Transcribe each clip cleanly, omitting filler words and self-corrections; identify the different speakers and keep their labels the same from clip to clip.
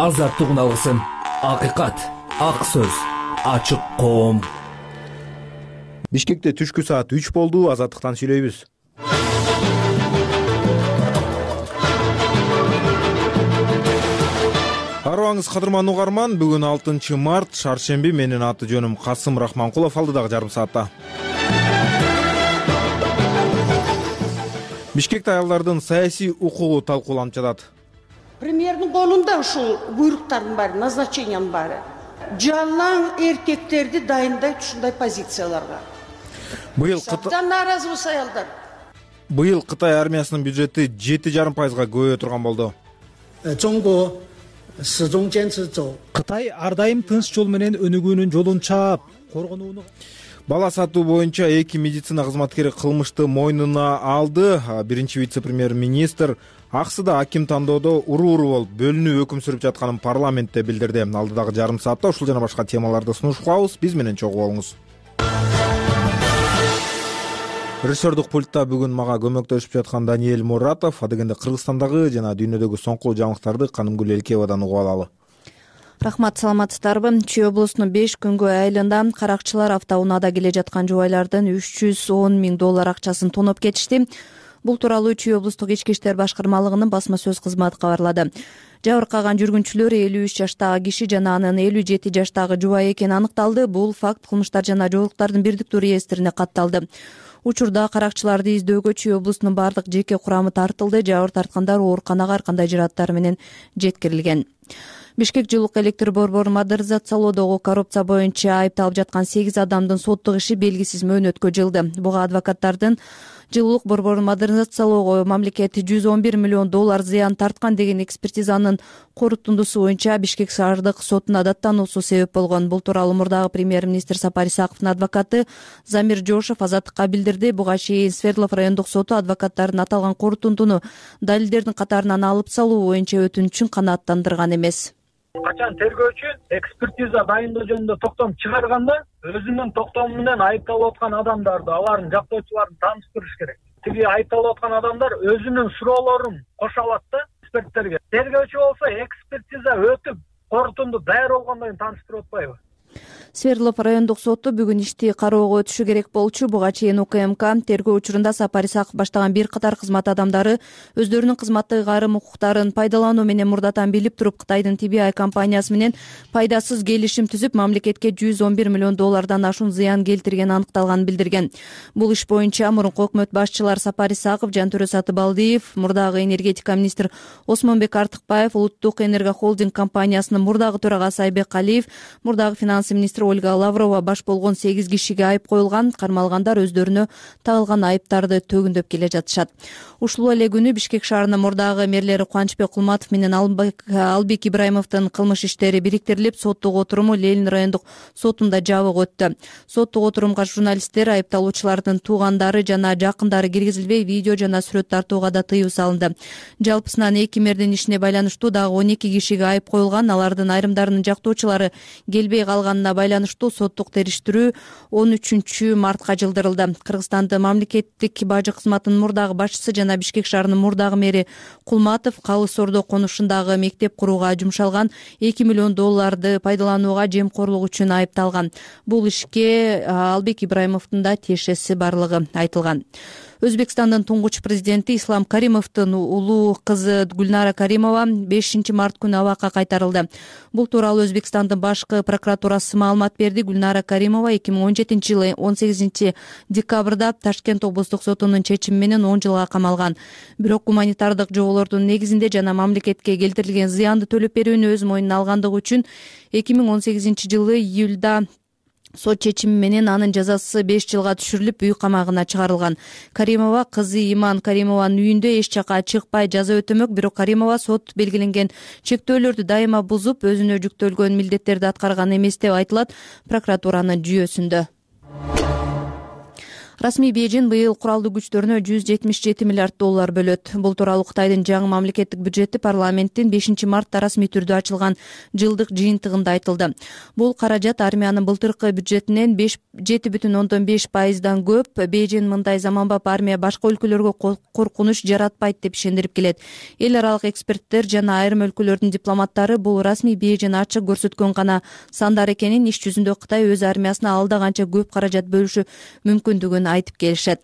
Speaker 1: азаттык алгысын. Акыйкат, ак сөз, ачык коом.
Speaker 2: Бишкекте түшкү саат 3 болду. Азаттыктан сүйлөйбүз. Арыбаңыз кадырман угарман. Бүгүн 6 март, шаршемби. Менин аты жөнүм Касым Рахманкулов. Алдыдагы жарым саатта Бишкекте аялдардын саясий укугу талкууланып жатат.
Speaker 3: Премьердин колунда ушул буйруктардын баары, назначениянын баары. Жалаң эркектерди дайындайт ушундай позицияларга. Абдан нааразыбыз аялдар.
Speaker 2: Быйыл Кытай армиясынын бюджети 7,5%га көбөйө турган болду.
Speaker 4: Кытай ар дайым тынч жол менен өнүгүүнүн жолун чаап, коргонууну.
Speaker 2: Бала сатуу боюнча 2 медицина кызматкери кылмышты мойнуна алды. Биринчи вице-премьер-министр Аксыда аким тандоодо уру-уру болуп бөлүнүү өкүм сүрүп жатканын парламентте билдирди. Алдыдагы жарым саатта ушул жана башка темаларды сунуш кылабыз. Биз менен чогуу болуңуз. Режиссердук пультта бүгүн мага көмөктөшүп жаткан Даниэль Муратов. Адегенде Кыргызстандагы жана дүйнөдөгү соңку жаңылыктарды Канымгүл Элкеевадан угуп алалы.
Speaker 5: Рахмат, саламатсыздарбы? Чүй облусунун 5 күнгө айылында каракчылар автоунаада келе жаткан жубайлардын $310,000 акчасын тоноп кетишти. Бул тууралуу Чүй облустук ички иштер башкармалыгынын басма сөз кызматы кабарлады. Жабыркаган жүргүнчүлөр 53 жаштагы киши жана анын 57 жаштагы жубайы экени аныкталды. Бул факт кылмыштар жана жоолуктардын бирдиктүү реестрине катталды. Учурда каракчыларды издөөгө Чүй облусунун бардык жеке курамы тартылды. Жабыр тарткандар ооруканага ар кандай жыраттар менен жеткирилген. Бишкек жылуулук электр борборун модернизациялоодогу коррупция боюнча айыпталып жаткан 8 адамдын соттук иши белгисиз мөөнөткө жылды. Буга адвокаттардын жылуулук борборун модернизациялоого мамлекет $111 миллион зыян тарткан деген экспертизанын корутундусу боюнча Бишкек шаардык сотуна даттануусу себеп болгон. Бул тууралуу мурдагы премьер-министр Сапар Исаковдун адвокаты Замир Жошев Азаттыкка билдирди. Буга чейин Свердлов райондук соту адвокаттардын аталган корутундуну далилдердин катарынан алып салуу боюнча өтүнүчүн канааттандырган эмес.
Speaker 6: Качан тергөөчү экспертиза дайындоо жөнүндө токтом чыгарганда өзүнүн токтому менен айыпталып аткан адамдарды, алардын жактоочуларын тааныштырыш керек. Тиги айыпталып аткан адамдар өзүнүн суроолорун кошо алат да эксперттерге. Тергөөчү болсо экспертиза өтүп, корутунду даяр болгондон кийин тааныштырып атпайбы?
Speaker 5: Свердлов райондук соту бүгүн ишти кароого өтүшү керек болчу. Буга чейин УКМК тергөө учурунда Сапар Исаков баштаган бир катар кызмат адамдары өздөрүнүн кызматтык айрым укуктарын пайдалануу менен мурдатан билип туруп Кытайдын TBI компаниясы менен пайдасыз келишим түзүп, мамлекетке $111 миллион ашуун зыян келтиргени аныкталганын билдирген. Бул иш боюнча мурунку өкмөт башчылар Сапар Исаков, Жантөрө Сатыбалдиев, мурдагы энергетика министр Осмонбек Артыкбаев, Улуттук энергохолдинг компаниясынын мурдагы төрагасы Айбек Алиев, мурдагы финанс министри Ольга Лаврова баш болгон 8 кишиге айып коюлган. Кармалгандар өздөрүнө тагылган айыптарды төгүндөп келе жатышат. Ушул эле күнү Бишкек шаарынын мурдагы мэрлери Кубанычбек Кулматов менен Албек Ибраимовдун кылмыш иштери бириктирилип, соттук отуруму Ленин райондук сотунда жабык өттү. Соттук отурумга журналисттер, айыпталуучулардын туугандары жана жакындары киргизилбей, видео жана сүрөт тартууга да тыюу салынды. Жалпысынан 2 мэрдин ишине байланыштуу дагы 12 кишиге айып коюлган. Алардын айрымдарынын жактоочулары келбей калганына байланыштуу соттук териштирүү 13 мартка жылдырылды. Кыргызстандын мамлекеттик бажы кызматынын мурдагы башчысы жана Бишкек шаарынын мурдагы мэри Кулматов Калыс Ордо конушундагы мектеп курууга жумшалган $2 миллион пайдаланууга жемкорлук үчүн айыпталган. Бул ишке Албек Ибраимовдун да тиешеси барлыгы айтылган. Өзбекстандын туңгуч президенти Ислам Каримовдун улуу кызы Гүлнара Каримова 5 март күнү абакка кайтарылды. Бул тууралуу Өзбекстандын башкы прокуратурасы маалымат берди. Гүлнара Каримова 2017 жылы 18 декабрда Ташкент облустук сотунун чечими менен 10 жылга камалган. Бирок гуманитардык жоболордун негизинде жана мамлекетке келтирилген зыянды төлөп берүүнү өз мойнуна алгандыгы үчүн 2018 жылы июлда сот чечими менен анын жазасы 5 жылга түшүрүлүп, үй камагына чыгарылган. Каримова кызы Иман Каримованын үйүндө эч жака чыкпай жаза өтөмөк. Бирок Каримова сот белгиленген чектөөлөрдү дайыма бузуп, өзүнө жүктөлгөн милдеттерди аткарган эмес деп айтылат прокуратуранын жүйөсүндө. Расмий Бейжин быйыл куралдуу күчтөрүнө $177 миллиард бөлөт. Бул тууралуу Кытайдын жаңы мамлекеттик бюджети парламенттин 5 мартта расмий түрдө ачылган жылдык жыйынтыгында айтылды. Бул каражат армиянын былтыркы бюджетинен 7,5% көп. Бейжин мындай заманбап армия башка өлкөлөргө коркунуч жаратпайт деп ишендирип келет. Эл аралык эксперттер жана айрым өлкөлөрдүн дипломаттары бул расмий Бейжин ачык көрсөткөн гана сандар экенин, иш жүзүндө Кытай өз армиясына алда канча көп каражат бөлүшү мүмкүндүгүн айтып келишет.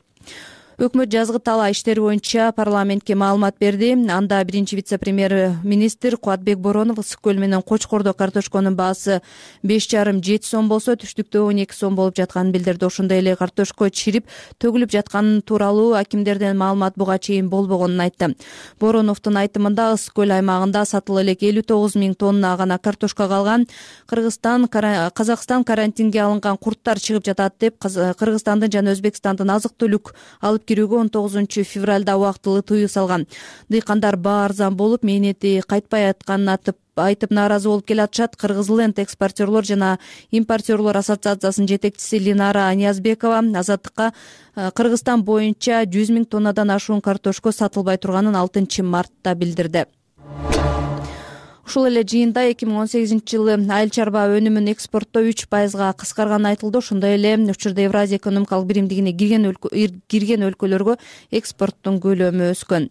Speaker 5: Өкмөт жазгы талаа иштери боюнча парламентке маалымат берди. Анда биринчи вице-премьер-министр Кубатбек Боронов ысык көл менен Кочкордо картошконун баасы 5,5-7 сом болсо, түштүктө 12 сом болуп жатканын билдирди. Ошондой эле картошко чирип төгүлүп жатканы тууралуу акимдерден маалымат буга чейин болбогонун айтты. Бороновдун айтымында ысык көл аймагында сатыла элек 59 000 тонна гана картошка калган. Казакстан карантинге алынган курттар чыгып жатат деп Кыргызстандын жана Өзбекстандын азык-түлүк алып кирүүгө 19 февралда убактылуу тыюу салган. Дыйкандар баа арзан болуп, мээнети кайтпай атканын айтып нааразы болуп келатышат. Кыргызленд экспортерлор жана импортерлор ассоциациясынын жетекчиси Линара Ниязбекова Азаттыкка Кыргызстан боюнча 100 000 тоннадан ашуун картошко сатылбай турганын 6 мартта билдирди. Ушул эле жыйында 2018-жылы айыл чарба өнүмүн экспорттоо 3%-га кыскарганы айтылды. Ошондой эле учурда Евразия экономикалык биримдигине кирген өлкөлөргө экспорттун көлөмү өскөн.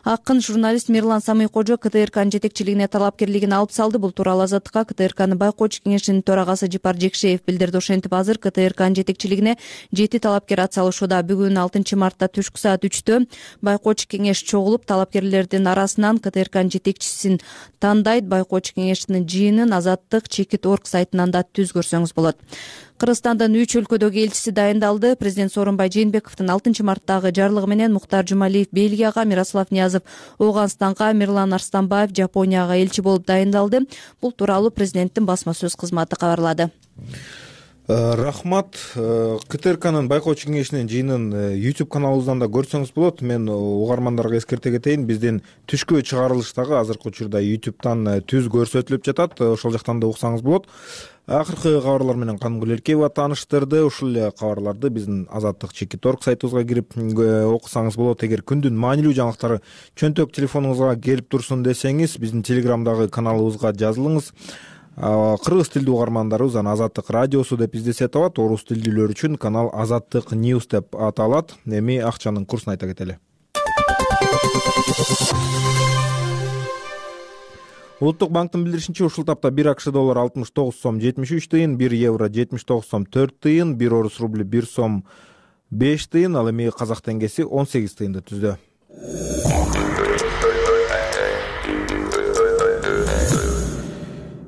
Speaker 5: Акын журналист Мирлан Самый-Кожо КТРКнын жетекчилигине талапкерлигин алып салды. Бул тууралуу Азаттыкка КТРКнын байкоочу кеңешинин төрагасы Жипар Жекшеев билдирди. Ошентип азыр КТРКнын жетекчилигине 7 талапкер атсалышууда. Бүгүн 6 мартта түшкү саат 3-тө байкоочу кеңеш чогулуп, талапкерлердин арасынан КТРКнын жетекчисин тандайт. Байкоочу кеңештин жыйынын Азаттык Чекит.орг сайтынан да түз көрсөңүз болот. Кыргызстандын 3 өлкөдөгү элчиси дайындалды. Президент Сооронбай Жээнбековдун 6 марттагы жарлыгы менен Муктар Жумалиев Бельгияга, Мирослав Ниязов Ооганстанга, Мирлан Арстанбаев Жапонияга элчи болуп дайындалды. Бул тууралуу президенттин басма сөз кызматы кабарлады.
Speaker 2: Рахмат. КТРКнын байкоочу кеңешинин жыйынын YouTube каналыбыздан да көрсөңүз болот. Мен угармандарга эскерте кетейин, биздин түшкү чыгарылыш дагы азыркы учурда YouTube'дан түз көрсөтүлүп жатат. Ошол жактан да уксаңыз болот. Акыркы кабарлар менен Канымгүл Элкеева тааныштырды. Ушул эле кабарларды биздин Азаттык Чекит.орг сайтыбызга кирип окусаңыз болот. Эгер күндүн маанилүү жаңылыктары чөнтөк телефонуңузга келип турсун десеңиз, биздин Телеграмдагы каналыбызга жазылыңыз. Кыргыз тилдүү угармандарыбыз аны Азаттык радиосу деп издесе табат. Орус тилдүүлөр үчүн канал Азаттык News деп аталат. Эми акчанын курсун айта кетели. Улуттук банктын билдиришинче, ушул тапта 1 АКШ доллары 69 сом 73 тыйын, 1 евро 79 сом 4 тыйын, 1 орус рубли 1 сом 5 тыйын, ал эми казак теңгеси 18 тыйынды түздү.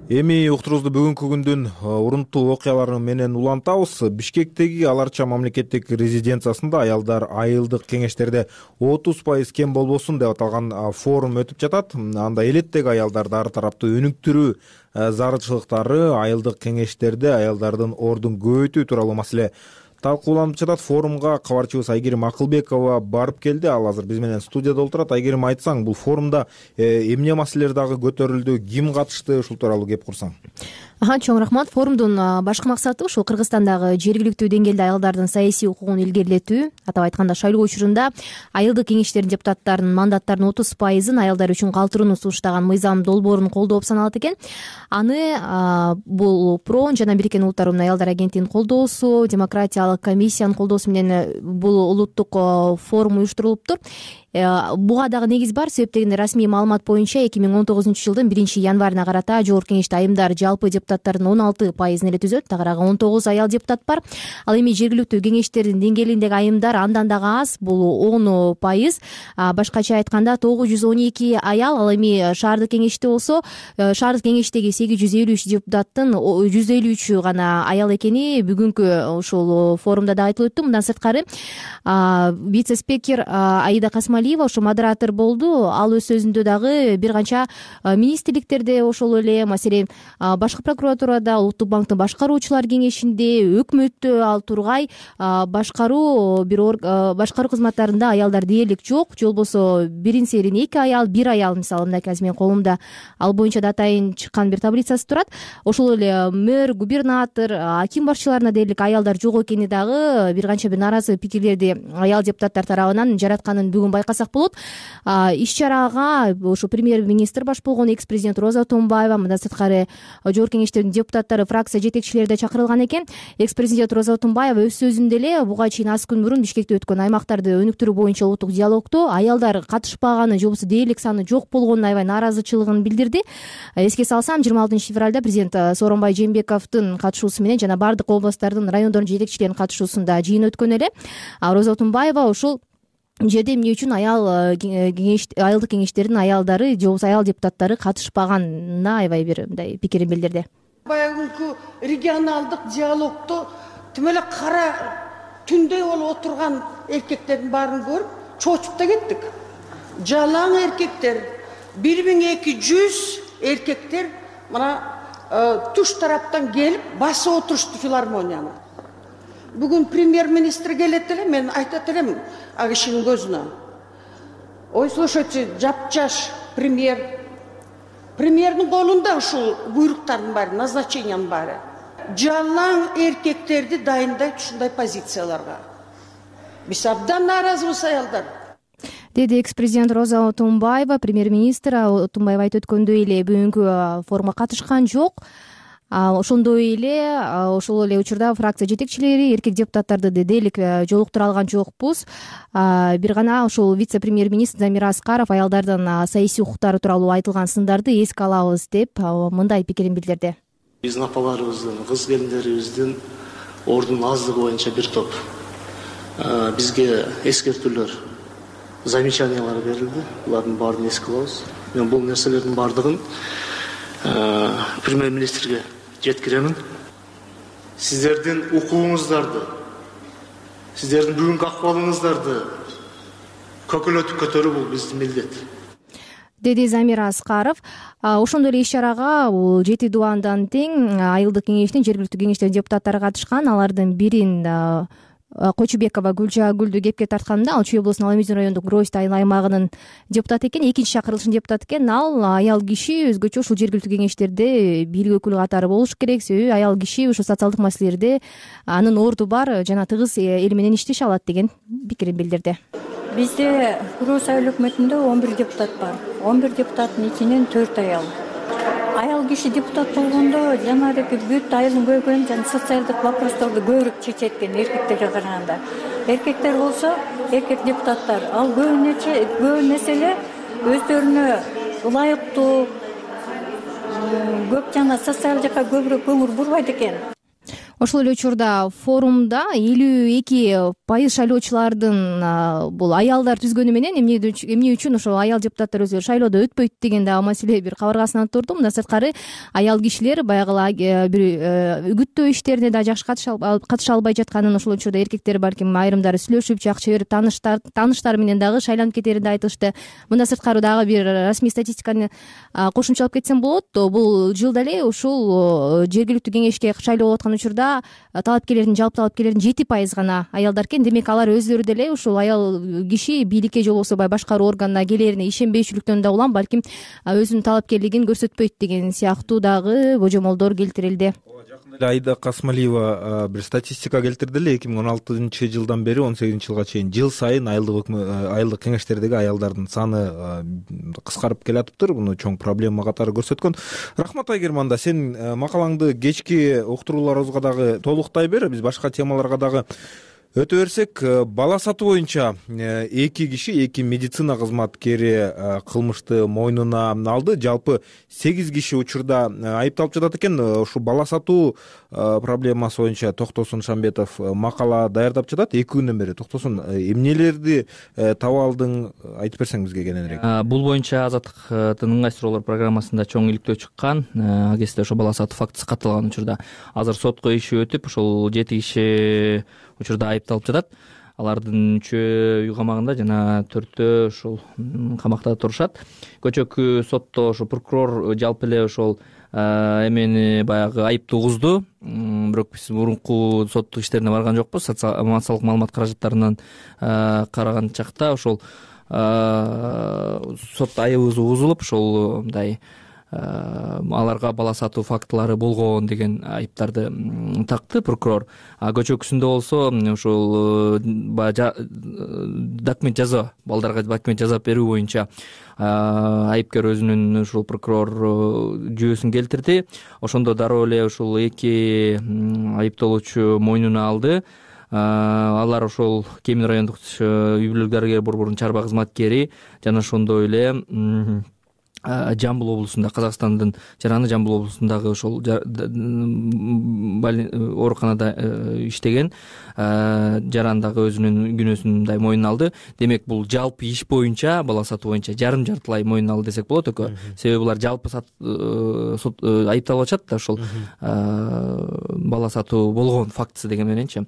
Speaker 2: Эми уктурубузду бүгүнкү күндүн урунттуу окуялары менен улантабыз. Бишкектеги Аларча мамлекеттик резиденциясында аялдар айылдык кеңештерде 30% кем болбосун деп аталган форум өтүп жатат. Анда элеттеги аялдарды ар тараптуу өнүктүрүү зарылчылыктары, айылдык кеңештерде аялдардын ордун көбөйтүү тууралуу маселе талкууланып жатат. Форумга кабарчыбыз Айгерим Акылбекова барып келди. Ал азыр биз менен студияда отурат. Айгерим, айтсаң, бул форумда эмне маселелер дагы көтөрүлдү, ким катышты, ушул тууралуу кеп курсаң.
Speaker 7: Чоң рахмат. Форумдун башкы максаты ушул Кыргызстандагы жергиликтүү деңгээлде аялдардын саясий укугун илгерилетүү. Атап айтканда, шайлоо учурунда айылдык кеңештердин депутаттарынын мандаттарынын 30%-ын аялдар үчүн калтырууну сунуштаган мыйзам долбоорун колдоо саналат экен. Аны бул ПРОН жана Бириккен Улуттар Уюмунун аялдар агенттигинин колдоосу, демократиялык комиссиянын колдоосу менен бул улуттук форум уюштурулуптур. Буга дагы негиз бар. Себеп дегенде, расмий маалымат боюнча 2019-жылдын 1-январына карата жогорку кеңеште айымдар жалпы депутаттардын 16%-ын эле түзөт. Тагыраагы 19 аял депутат бар. Ал эми жергиликтүү кеңештердин деңгээлиндеги айымдар андан дагы аз, бул 10%. Башкача айтканда 912 аял. Ал эми шаардык кеңеште болсо, шаардык кеңештеги 853 депутаттын 153 гана аял экени бүгүнкү ушул форумда да айтылып өттү. Мындан сырткары вице-спикер Аида Касмалиева ошо модератор болду. Ал өз сөзүндө дагы бир канча министрликтерде, ошол эле маселен башкы прокуратурада, Улуттук банктын башкаруучулар кеңешинде, өкмөттө, ал тургай башкаруу кызматтарында аялдар дээрлик жок. Же болбосо бирин-серин 2 аял, 1 аял, мисалы мындай азыр менин колумда ал боюнча да атайын чыккан бир таблицасы турат. Ошол эле мэр, губернатор, аким башчыларына дээрлик аялдар жок экени дагы бир канча бир нааразы пикирлерди аял депутаттар тарабынан жаратканын бүгүн байкасак болот. Иш чарага ошо премьер-министр баш болгон экс-президент Роза Отунбаева, мындан сырткары жогорку кеңештердин депутаттары, фракция жетекчилери да чакырылган экен. Экс-президент Роза Отунбаева өз сөзүндө эле буга чейин аз күн мурун Бишкекте өткөн аймактарды өнүктүрүү боюнча улуттук диалогдо аялдар катышпаганы же болбосо дээрлик саны жок болгонуна аябай нааразычылыгын билдирди. Эске салсам, 26 февралда президент Сооронбай Жээнбековдун катышуусу менен жана бардык областтардын, райондордун жетекчилеринин катышуусунда жыйын өткөн эле. Роза Отунбаева ушул жерде эмне үчүн айылдык кеңештердин аялдары же болбосо аял депутаттары катышпаганына аябай бир мындай пикирин билдирди.
Speaker 3: Баягы регионалдык диалогдо тим эле кара түндөй болуп отурган эркектердин баарын көрүп чочуп да кеттик. Жалаң эркектер, 1200 эркектер мына туш тараптан келип басып отурушту филармонияны. Бүгүн премьер-министр келет эле, мен айтат элем ал кишинин көзүнө. Ой, слушайте, жапжаш премьердин колунда ушул буйруктардын баары, назначениянын баары. Жалаң эркектерди дайындайт ушундай позицияларга. Биз абдан нааразыбыз аялдар.
Speaker 7: Деди экс-президент Роза Отунбаева. Премьер-министр Отунбаева айтып өткөндөй эле бүгүнкү форумга катышкан жок. Ошондой эле ошол эле учурда фракция жетекчилери эркек депутаттарды дээрлик жолуктура алган жокпуз. Бир гана ошол вице-премьер-министр Замира Аскаров аялдардын саясий укуктары тууралуу айтылган сындарды эске алабыз деп мындай пикирин билдирди.
Speaker 8: Биздин апаларыбыздын, кыз келиндерибиздин ордунун аздыгы боюнча бир топ бизге эскертүүлөр, замечаниялар берилди. Булардын баарын эске алабыз. Мен бул нерселердин баардыгын премьер-министрге жеткиремин. Сиздердин укугуңуздарды, сиздердин бүгүнкү акыбалыңыздарды көкөлөтүп көтөрүү бул биздин милдет,
Speaker 7: деди Замир Аскаров. Ошондой эле иш чарага 7 дубандан тең айылдык кеңештин, жергиликтүү кеңештердин депутаттары катышкан. Алардын бирин Кочубекова Гүлжагүлдү кепке тартканда, ал Чүй облусунун Аламизин райондук Гройст аймагынын депутаты экен, экинчи чакырылыштын депутаты экен. Ал аял киши өзгөчө ушул жергиликтүү кеңештерде бийлик өкүлү катары болуш керек. Себеби аял киши ушул социалдык маселелерде анын орду бар жана тыгыз эл менен иштеше алат деген пикирин билдирди.
Speaker 9: Бизде Гройст айыл өкмөтүндө 11 депутат бар. 11 депутаттын ичинен 4 аял. Аял киши депутат болгондо жанагы бүт айылдын көйгөйүн жана социалдык вопросторду көбүрөөк чечет экен эркектерге караганда. Эркектер болсо, эркек депутаттар ал көп нерселе өздөрүнө ылайыктуу, көп жана социал жакка көбүрөөк көңүл бурбайт экен.
Speaker 7: Ошол эле учурда форумда 52% шайлоочулардын бул аялдар түзгөнү менен эмне үчүн ошол аял депутаттар өзү шайлоодо өтпөйт деген да маселе бир кабыргасынан турду. Мындан сырткары аял кишилер баягы бир үгүттөө иштерине да жакшы катыша албай жатканын, ошол учурда эркектер балким айрымдары сүйлөшүп жакшы берип тааныштары менен дагы шайланып кетерин да айтышты. Мындан сырткары дагы бир расмий статистиканы кошумчалап кетсем болот. Бул жылда эле ушул жергиликтүү кеңешке шайлоо болуп аткан учурда жалпы талапкерлердин 7% гана аялдар экен. Демек алар өздөрү деле ушул аял киши бийликке же болбосо башкаруу органына келерине ишенбейчүлүктөн да улам балким өзүнүн талапкерлигин көрсөтпөйт деген сыяктуу дагы божомолдор келтирилди.
Speaker 2: Айда Касмалиева бир статистика келтирди эле. 2016 жылдан бери 18 жылга чейин жыл сайын айылдык кеңештердеги аялдардын саны кыскарып келатыптыр. Буну чоң проблема катары көрсөткөн. Рахмат Айгерман, сен макалаңды кечки уктурууларыбызга дагы толуктай бер. Биз башка темаларга дагы өтө берсек, бала сатуу боюнча 2 киши, 2 медицина кызматкери кылмышты мойнуна алды. Жалпы 8 киши учурда айыпталып жатат экен. Ушу бала сатуу проблемасы боюнча Токтосун Шамбетов макала даярдап жатат 2 күндөн бери. Токтосун, эмнелерди таба алдың, айтып берсең бизге кененирээк.
Speaker 1: Бул боюнча Азаттыктын ыңгай суроолор программасында чоң иликтөө чыккан. Ал кезде ошо бала сатуу фактысы катталган учурда азыр сотко иши өтүп, ошол 7 киши учурда айыпталып жатат. Алардын 3-өө үй камагында жана 4-өө ушул камакта турушат. Көчөкү сотто ошо прокурор жалпы эле ошол эмени баягы айыпты угузду. Бирок биз мурунку соттук иштерине барган жокпуз. Массалык маалымат каражаттарынан караган чакта ошол сот айыбыбыз угузулуп, ошол мындай аларга бала сатуу фактылары болгон деген айыптарды такты прокурор. Көчөкүсүндө болсо ушул документ жазуу, балдарга документ жазап берүү боюнча айыпкер өзүнүн ушул прокурор жүйөсүн келтирди. Ошондо дароо эле ушул эки айыпталуучу мойнуна алды. Алар ошол Кемин райондук үй бүлөлүк дарыгер борборунун чарба кызматкери жана ошондой эле Жамбыл облусунда, Казакстандын жараны Жамбыл облусундагы ошол ооруканада иштеген жарандагы өзүнүн күнөөсүн мындай мойнуна алды. Демек бул жалпы иш боюнча, бала сатуу боюнча жартылай мойнуна алды десек болот экөө. Себеби булар жалпы айыпталып атышат да ошол бала сатуу болгон фактысы деген мененчи.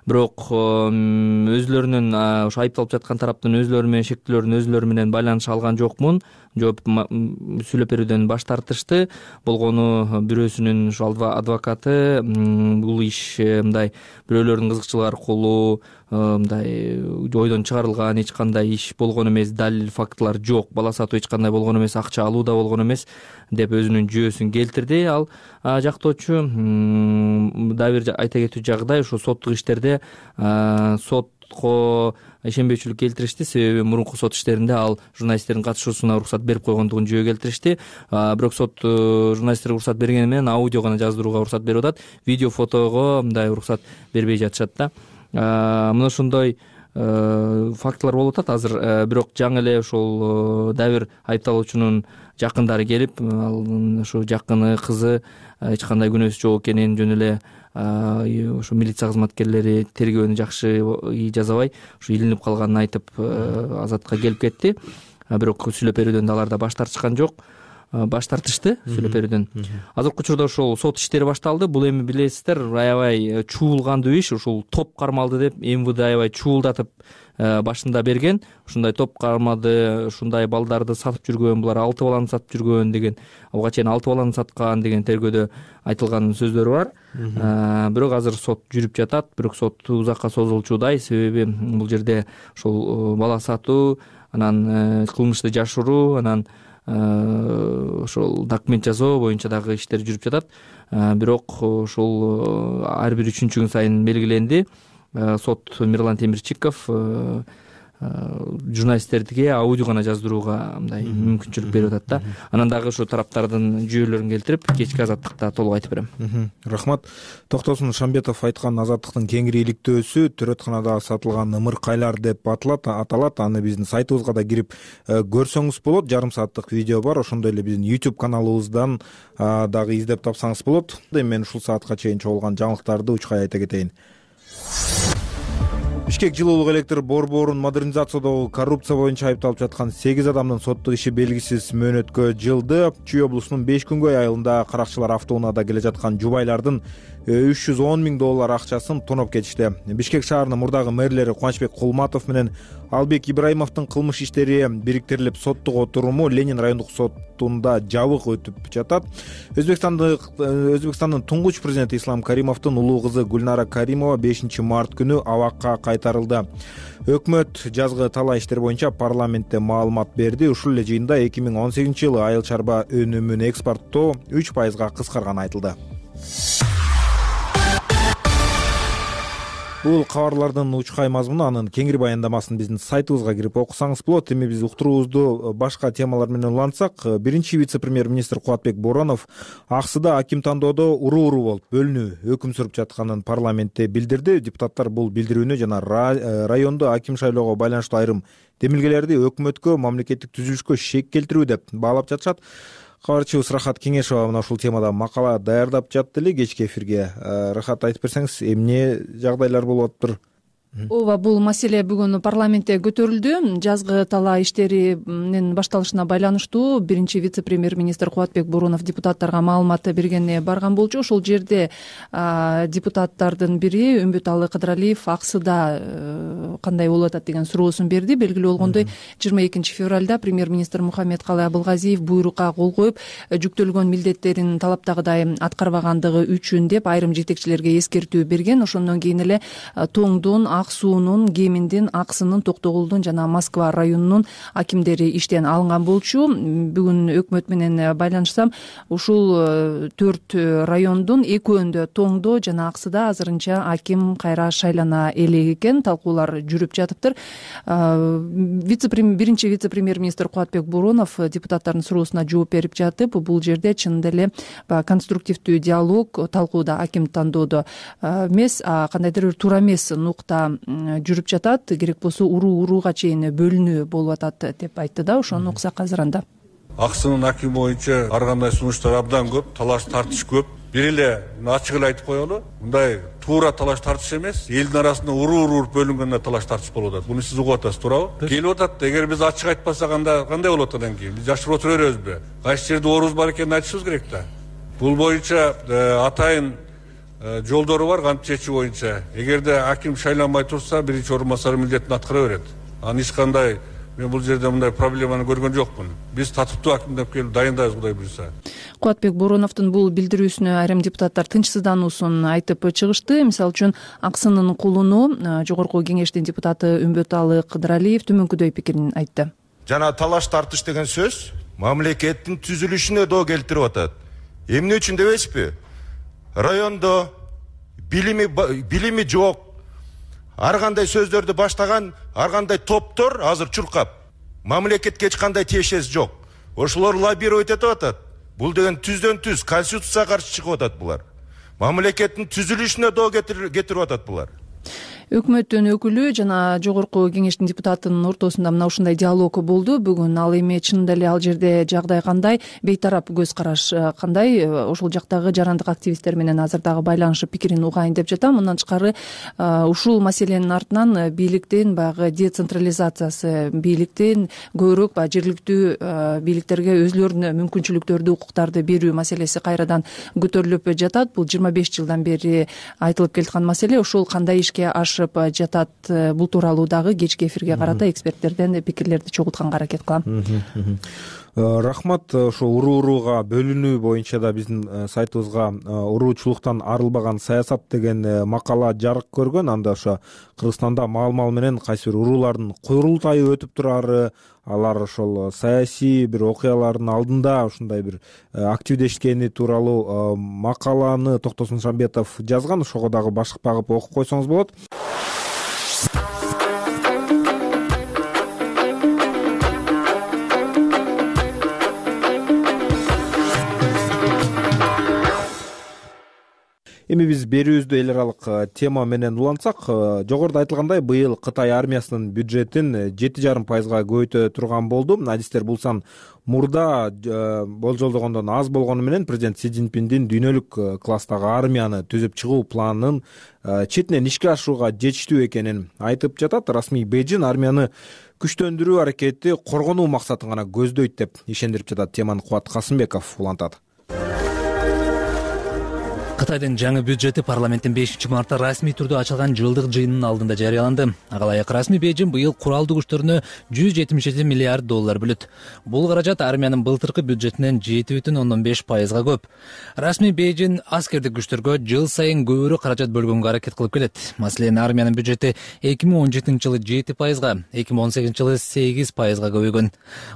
Speaker 1: Бирок өзлөрүнүн ошо айыпталып жаткан тараптын өзлөрү менен шектүүлөрүн өзлөрү менен байланыша алган жокмун, жооп сүйлөп берүүдөн баш тартышты. Болгону бирөөсүнүн ошо адвокаты бул иш мындай бирөөлөрдүн кызыкчылыгы аркылуу мындай ойдон чыгарылган эч кандай иш болгон эмес, далил фактылар жок, бала сатуу эч кандай болгон эмес, акча алуу да болгон эмес деп өзүнүн жүйөсүн келтирди. Ал жактоочу дагы бир айта кетүү жагдай, ошо соттук иштерде сотко ишенбөөчүлүк келтиришти. Себеби мурунку сот иштеринде ал журналисттердин катышуусуна уруксат берип койгондугун жөө келтиришти. Бирок сот журналисттерге уруксат бергени менен аудио гана жаздырууга уруксат берип атат. Видео, фотого мындай уруксат бербей жатышат да. Мына ошондой фактылар болуп атат азыр. Бирок жаңы эле ошол дагы бир айыпталуучунун жакындары келип, ал ошо жакыны кызы эч кандай күнөөсү жок экенин, жөн эле ошо милиция кызматкерлери тергөөнү жакшы жасабай ушу илинип калганын айтып азатка келип кетти. Бирок сүйлөп берүүдөн алар да баш тартышкан жок. Баш тартышты сүйлөп берүүдөн. Азыркы учурда ошол сот иштери башталды. Бул эми билесиздер, аябай чуулгандуу иш. Ушул топ кармалды деп МВД аябай чуулдатып башында берген. Ушундай топ кармады, ушундай балдарды сатып жүргөн, булар 6 баланы сатып жүргөн деген, буга чейин 6 баланы саткан деген тергөөдө айтылган сөздөрү бар. Бирок азыр сот жүрүп жатат. Бирок сот узакка созулчудай. Себеби бул жерде ошол бала сатуу, анан кылмышты жашыруу, анан ошол документ жасоо боюнча дагы иштер жүрүп жатат. Бирок ошол ар бир 3-күн сайын белгиленди. Сот Мирлан Темирчиков журналисттерге аудио гана жаздырууга мындай мүмкүнчүлүк берип атат да. Анан дагы ошо тараптардын жүйөлөрүн келтирип, кечки азаттыкта толук айтып берем.
Speaker 2: Рахмат. Токтосун Шамбетов айткан азаттыктын кеңири иликтөөсү төрөтканада сатылган ымыркайлар деп аталат. Аны биздин сайтыбызга да кирип көрсөңүз болот. Жарым сааттык видео бар. Ошондой эле биздин YouTube каналыбыздан дагы издеп тапсаңыз болот. Мен ушул саатка чейин чогулган жаңылыктарды учкай айта кетейин. Бишкек жылуулук электр борборун модернизациядагы коррупция боюнча айыпталып жаткан 8 адамдын соттук иши белгисиз мөөнөткө жылды. Чүй облусунун 5-күнгөй айылында каракчылар автоунаада келе жаткан жубайлардын $310 000 акчасын тоноп кетишти. Бишкек шаарынын мурдагы мэрлери Кубанычбек Кулматов менен Албек Ибраимовдун кылмыш иштери бириктирилип соттук отуруму Ленин райондук сотунда жабык өтүп жатат. Өзбекстандын туңгуч президенти Ислам Каримовдун улуу кызы Гүлнара Каримова 5 март күнү абакка кайтарылды. Өкмөт жазгы талаа иштер боюнча парламентте маалымат берди. Ушул эле жыйында 2018-жылы айыл чарба өнүмүн экспорттоо 3% кыскарганы айтылды. Бул кабарлардын учкай мазмуну, анын кеңири баяндамасын биздин сайтыбызга кирип окусаңыз болот. Эми биз уктуруубузду башка темалар менен улантсак, биринчи вице-премьер-министр Кубатбек Боронов аксыда аким тандоодо уруу болуп бөлүнүү өкүм сүрүп жатканын парламентте билдирди. Депутаттар бул билдирүүнү жана райондо аким шайлоого байланыштуу айрым демилгелерди өкмөткө, мамлекеттик түзүлүшкө шек келтирүү деп баалап жатышат. Кабарчыбыз Рахат Кеңешова мына ушул темада макала даярдап жатты эле кечки эфирге. Рахат, айтып берсеңиз, эмне жагдайлар болуп атыптыр?
Speaker 10: Ооба, бул маселе бүгүн парламентте көтөрүлдү. Жазгы талаа иштеринин башталышына байланыштуу биринчи вице-премьер-министр Кубатбек Боронов депутаттарга маалымат бергенне барган болчу. Ошол жерде депутаттардын бири Үмбөталы Кыдыралиев аксыда кандай болуп атат деген суроосун берди. Белгилүү болгондой, 22 февралда премьер-министр Мухаммедкалый Абылгазиев буйрукка кол коюп, жүктөлгөн милдеттерин талаптагыдай аткарбагандыгы үчүн деп айрым жетекчилерге эскертүү берген. Ошондон кийин эле тоңдон Ак суунун, Кеминдин, Аксынын, Токтогулдун жана Москва районунун акимдери иштен алынган болчу. Бүгүн өкмөт менен байланышсам, ушул 4 райондун экөөндө, Тоңдо жана Аксыда азырынча аким кайра шайлана элек экен. Талкуулар жүрүп жатыптыр. Биринчи вице-премьер-министр Кубатбек Боронов депутаттардын суроосуна жооп берип жатып, бул жерде чынында эле конструктивдүү диалог, талкууда аким тандоодо эмес, кандайдыр бир туура эмес нукта жүрүп жатат. Керек болсо урууга чейин бөлүнүү болуп атат деп айтты да. Ошону уксак азыр анда.
Speaker 11: Аксынын акими боюнча ар кандай сунуштар абдан көп, талаш тартыш көп. Бир эле ачык эле айтып коелу, мындай туура талаш тартыш эмес, элдин арасында уруу бөлүнгөндө талаш тартыш болуп атат. Буну сиз угуп атасыз, туурабы? Келип атат. Эгер биз ачык айтпасак, анда кандай болот андан кийин? Биз жашырып отура беребизби? Кайсы жерде оорубуз бар экенин айтышыбыз керек да. Бул боюнча атайын жолдору бар, кантип чечүү боюнча. Эгерде аким шайланбай турса, биринчи орун басары милдетин аткара берет. Анан эч кандай мен бул жерде мындай проблеманы көргөн жокмун. Биз татыктуу акимдеп келип дайындайбыз, Кудай буйрса.
Speaker 10: Кубатбек Бороновдун бул билдирүүсүнө айрым депутаттар тынчсыздануусун айтып чыгышты. Мисалы үчүн Аксынын кулуну Жогорку Кеңештин депутаты Үмбөталы Кыдыралиев төмөнкүдөй пикирин айтты.
Speaker 12: Жана талаш тартыш деген сөз мамлекеттин түзүлүшүнө доо келтирип атат. Эмне үчүн дебейсизби? Райондо билими жок, ар кандай сөздөрдү баштаган ар кандай топтор азыр чуркап. Мамлекетке эч кандай тиешеси жок. Ошолор лоббировать этип атат. Бул деген түздөн түз конституцияга каршы чыгып атат булар. Мамлекеттин түзүлүшүнө доо кетирип атат булар.
Speaker 10: Өкмөттүн өкүлү жана Жогорку Кеңештин депутатынын ортосунда мына ушундай диалог болду. Бүгүн ал эми чынында эле ал жерде жагдай кандай, бейтарап көз караш кандай, ошол жактагы жарандык активисттер менен азыр дагы байланышып пикирин угайын деп жатам. Мындан тышкары ушул маселенин артынан бийликтин баягы децентрализациясы, бийликтин көбүрөөк жергиликтүү бийликтерге өзлөрүнө мүмкүнчүлүктөрдү, укуктарды берүү маселеси кайрадан көтөрүлүп жатат. Бул 25 жылдан бери айтылып келаткан маселе. Ошол кандай ишке жатат, бул тууралуу дагы кечки эфирге карата эксперттерден пикирлерди чогултканга аракет кылам.
Speaker 2: Рахмат. Ошо урууга бөлүнүү боюнча да биздин сайтыбызга уруучулуктан арылбаган саясат деген макала жарык көргөн. Анда ошо Кыргызстанда маал менен кайсы бир уруулардын курултайы өтүп турары, алар ошол саясий бир окуялардын алдында ушундай бир активдешкени тууралуу макаланы Токтосун Шамбетов жазган. Ошого дагы башык багып окуп койсоңуз болот. Эми биз берүүбүздү эл аралык тема менен улантсак, жогоруда айтылгандай, быйыл Кытай армиясынын бюджетин 7,5% көбөйтө турган болду. Адистер бул сан мурда болжолдогондон аз болгону менен президент Си Цзиньпиндин дүйнөлүк класстагы армияны түзүп чыгуу планынын четинен ишке ашырууга жетиштүү экенин айтып жатат. Расмий Бейжин армияны күчтөндүрүү аракети коргонуу максатын гана көздөйт деп ишендирип жатат. Теманы Кубат Касымбеков улантат.
Speaker 13: Кытайдын жаңы бюджети парламенттин 5-мартта расмий түрдө ачылган жылдык жыйынынын алдында жарыяланды. Ага ылайык расмий Бейжин быйыл куралдуу күчтөрүнө $177 миллиард бөлөт. Бул каражат армиянын былтыркы бюджетинен 7,5%га көп. Расмий Бейжин аскердик күчтөргө жыл сайын көбүрөөк каражат бөлгөнгө аракет кылып келет. Маселен, армиянын бюджети 2017-жылы 7%га, 2018-жылы 8%га көбөйгөн.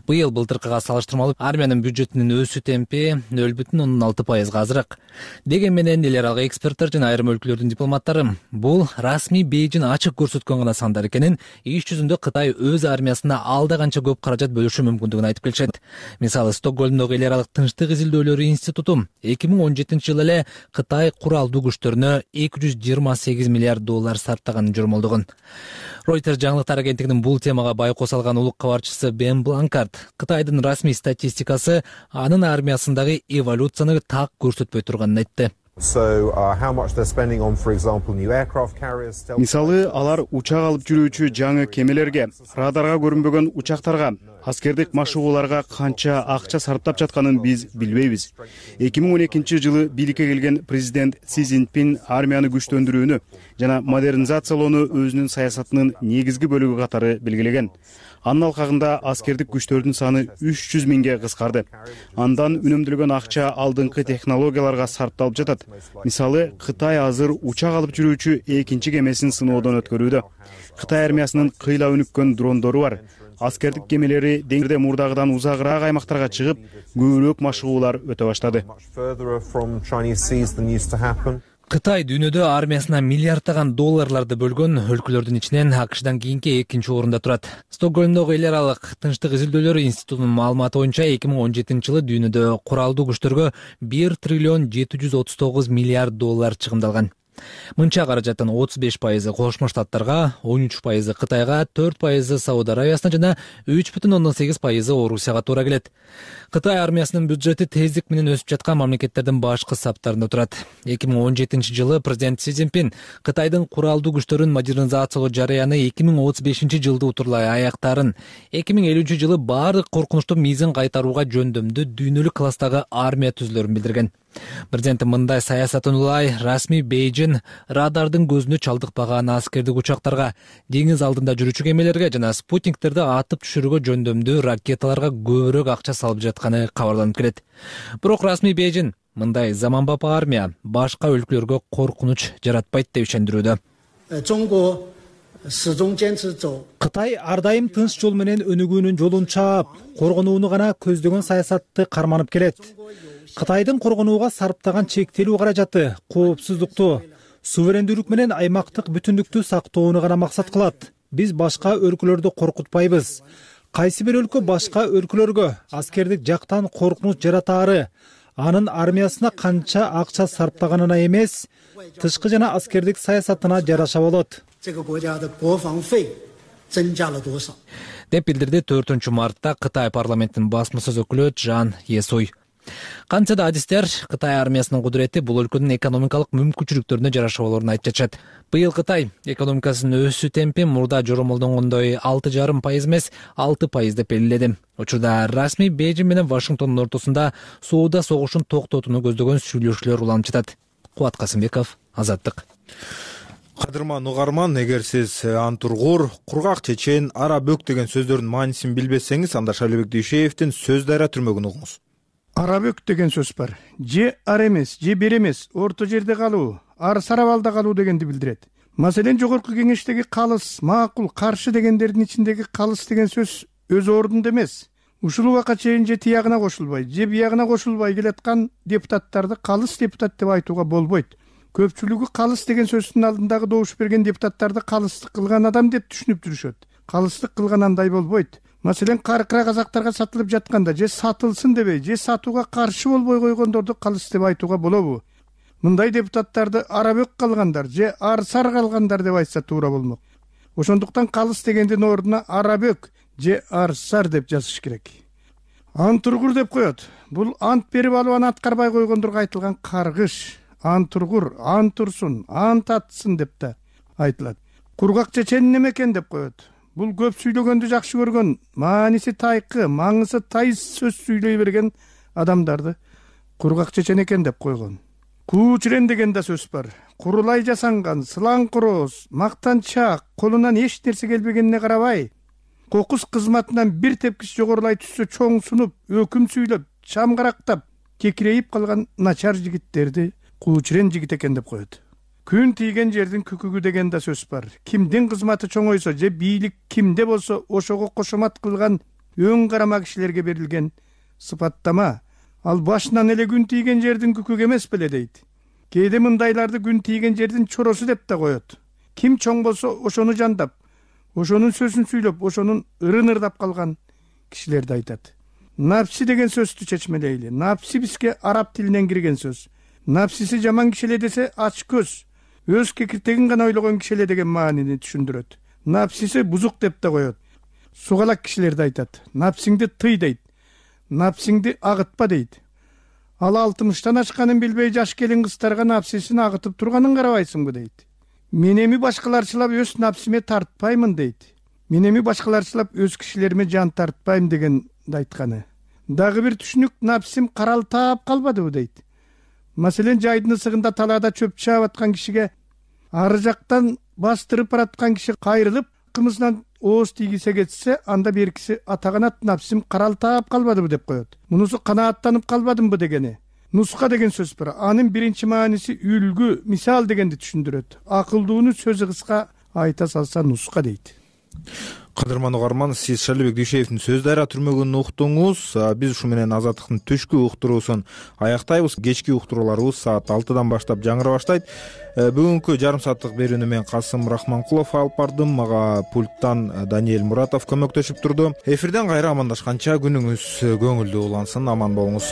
Speaker 13: Быйыл былтыркыга салыштырмалуу армиянын бюджетинин өсүү темпи 0,6%га азыраак. Деген менен эл аралык эксперттер жана айрым өлкөлөрдүн дипломаттары бул расмий Бейжин ачык көрсөткөн гана сандар экенин, иш жүзүндө Кытай өз армиясына алда канча көп каражат бөлүшү мүмкүндүгүн айтып келишет. Мисалы, Стокгольмдогу эл аралык тынчтык изилдөөлөрү институту 2017-жылы эле Кытай куралдуу күчтөрүнө $228 миллиард сарптаганын жормолдогон. Reuters жаңылыктар агенттигинин бул темага байкоо салган улук кабарчысы Бен Бланкарт Кытайдын расмий статистикасы анын армиясындагы эволюцияны так көрсөтпөй турганын айтты.
Speaker 14: Мисалы, алар учак алып жүрүүчү жаңы кемелерге, радарга көрүнбөгөн учактарга, аскердик машыгууларга канча акча сарптап жатканын биз билбейбиз. 2012-жылы бийликке келген президент Си Цзиньпин армияны күчтөндүрүүнү жана модернизациялоону өзүнүн саясатынын негизги бөлүгү катары белгилеген. Анын алкагында аскердик күчтөрдүн саны 300 миңге кыскарды. Андан үнөмдөлгөн акча алдыңкы технологияларга сарпталып жатат. болот. Мисалы, Кытай азыр учак алып жүрүүчү экинчи кемесин сыноодон өткөрүүдө. Кытай армиясынын кыйла өнүккөн дрондору бар. Аскердик кемелери деңизде мурдагыдан узагыраак аймактарга чыгып, көбүрөөк машыгуулар өтө баштады.
Speaker 13: Кытай дүйнөдө армиясына миллиарддаган долларларды бөлгөн өлкөлөрдүн ичинен АКШдан кийинки экинчи орунда турат. Стокгольмдогу эл аралык тынчтык изилдөөлөр институтунун маалыматы боюнча 2017-жылы дүйнөдө куралдуу күчтөргө 1 триллион 739 миллиард доллар чыгымдалган. Мынча каражаттын 35% Кошмо Штаттарга, 13% Кытайга, 4% Сауд Аравиясына жана 3,8% Орусияга туура келет. Кытай армиясынын бюджети тездик менен өсүп жаткан мамлекеттердин башкы саптарында турат. 2017-жылы президент Си Цзиньпин Кытайдын куралдуу күчтөрүн модернизациялоо жарыяны 2035-жылды утурлай аяктарын, 2050-жылы баардык коркунучтуу мизин кайтарууга жөндөмдүү дүйнөлүк класстагы армия түзүлөрүн билдирген. Президент мындай саясатын улай расмий Бейжин радардын көзүнө чалдыкпаган аскердик учактарга, деңиз алдында жүрүүчү кемелерге жана спутниктерди атып түшүрүүгө жөндөмдүү ракеталарга көбүрөөк акча салып жатканы кабарланып келет. Бирок расмий Бейжин мындай заманбап армия башка өлкөлөргө коркунуч жаратпайт деп ишендирүүдө.
Speaker 4: Кытай ар дайым тынч жол менен өнүгүүнүн жолун чаап, коргонууну гана көздөгөн саясатты карманып келет. Кытайдын коргонууга сарптаган чектелүү каражаты коопсуздукту, суверендүүлүк менен аймактык бүтүндүктү сактоону гана максат кылат. Биз башка өлкөлөрдү коркутпайбыз. Кайсы бир өлкө башка өлкөлөргө аскердик жактан коркунуч жаратаары, анын армиясына канча акча сарптаганына эмес, тышкы жана аскердик саясатына жараша болот.
Speaker 13: Деп билдирди 4-мартта Кытай парламентинин басма сөз өкүлү Жан Есуй. Кантсе да адистер Кытай армиясынын кудурети бул өлкөнүн экономикалык мүмкүнчүлүктөрүнө жараша болоорун айтып жатышат. Быйыл Кытай экономикасынын өсүү темпи мурда жоромолдонгондой 6,5% эмес 6% деп белгиледи. Учурда расмий Бейжин менен Вашингтондун ортосунда сууда согушун токтотууну көздөгөн сүйлөшүүлөр уланып жатат. Кубат Касымбеков, Азаттык.
Speaker 2: Кадырман угарман, эгер сиз антургур, кургак чечен, ара бөк деген сөздөрдүн маанисин билбесеңиз, анда Шайлообек Дүйшеевдин Сөз дайра түрмөгүн угуңуз.
Speaker 15: Арабөк деген сөз бар. Же ар эмес, же бер эмес, орто жерде калуу, ар сарабалда калуу дегенди билдирет. Маселен, жогорку кеңештеги калыс, макул, каршы дегендердин ичиндеги калыс деген сөз өз ордунда эмес. Ушул убакка чейин же тиягына кошулбай, же биягына кошулбай келаткан депутаттарды калыс депутат деп айтууга болбойт. Көпчүлүгү калыс деген сөздүн алдындагы добуш берген депутаттарды калыстык кылган адам деп түшүнүп жүрүшөт. Калыстык кылган андай болбойт. Маселен, каркыра казактарга сатылып жатканда же сатылсын дебей, же сатууга каршы болбой койгондорду калыс деп айтууга болобу? Мындай депутаттарды арабөк калгандар же арсар калгандар деп айтса туура болмок. Ошондуктан калыс дегендин ордуна арабөк же арсар деп жазыш керек. Антургур деп коет. Бул ант берип алып аны аткарбай койгондорго айтылган каргыш. Антургур, антурсун, ант атсын деп да айтылат. Кургак чечен неме экен деп коет. Бул көп сүйлөгөндү жакшы көргөн, мааниси тайкы, маңызы тайыз сөз сүйлөй берген адамдарды кургак чечен экен деп койгон. Куучрен деген да сөз бар. Курулай жасанган, сылаң короз, мактанчак, колунан эч нерсе келбегенине карабай, кокус кызматынан бир тепкич жогорулай түшсө чоң сунуп, өкүм сүйлөп, чамгарактап, кекирейип калган начар жигиттерди куучрен жигит экен деп коет. Күн тийген жердин күкүгү деген да сөз бар. Кимдин кызматы чоңойсо же бийлик кимде болсо ошого кошомат кылган өң карама кишилерге берилген сыпаттама. Ал башынан эле күн тийген жердин күкүгү эмес беле дейт. Кээде мындайларды күн тийген жердин чоросу деп да коет. Ким чоң болсо ошону жандап, ошонун сөзүн сүйлөп, ошонун ырын ырдап калган кишилерди айтат. Напси деген сөздү чечмелейли. Напси бизге араб тилинен кирген сөз. Напсиси жаман кишиле десе ач көз, өз кекиртегин гана ойлогон кишиле деген маанини түшүндүрөт. Напсиси бузук деп да коет. Сугалак кишилерди айтат. Напсиңди тый дейт. Напсиңди агытпа дейт. Ал 60-тан ашканын билбей жаш келин кыздарга напсисин агытып турганын карабайсыңбы дейт. Мен эми башкаларчылап өз напсиме тартпаймын дейт. Мен эми башкаларчылап өз кишилериме жан тартпайм деген айтканы. Дагы бир түшүнүк, напсим каралтаап калбадыбы дейт. Маселен, жайдын ысыгында талаада чөп чаап аткан кишиге ары жактан бастырып бараткан киши кайрылып, кымызынан ооз тийгисе кетсе, анда беркиси атаганат напсим каралтаап калбадыбы деп коет. Мунусу канааттанып калбадымбы дегени. нуска деген сөз бар. Анын биринчи мааниси үлгү, мисал дегенди түшүндүрөт. Акылдууну сөзү кыска айта салса нуска дейт.
Speaker 2: Кадырман угарман, сиз Шалибек Дүйшеевдин Сөз Дарыя түрмөгүн уктуңуз. Биз ушу менен Азаттыктын түшкү уктуруусун аяктайбыз. Кечки уктурууларыбыз саат 6-дан баштап жаңыра баштайт. Бүгүнкү жарым сааттык берүүнү мен Касым Рахманкулов алып бардым. Мага пульттан Даниэль Муратов көмөктөшүп турду. Эфирден кайра амандашканча күнүңүз көңүлдүү улансын. Аман болуңуз.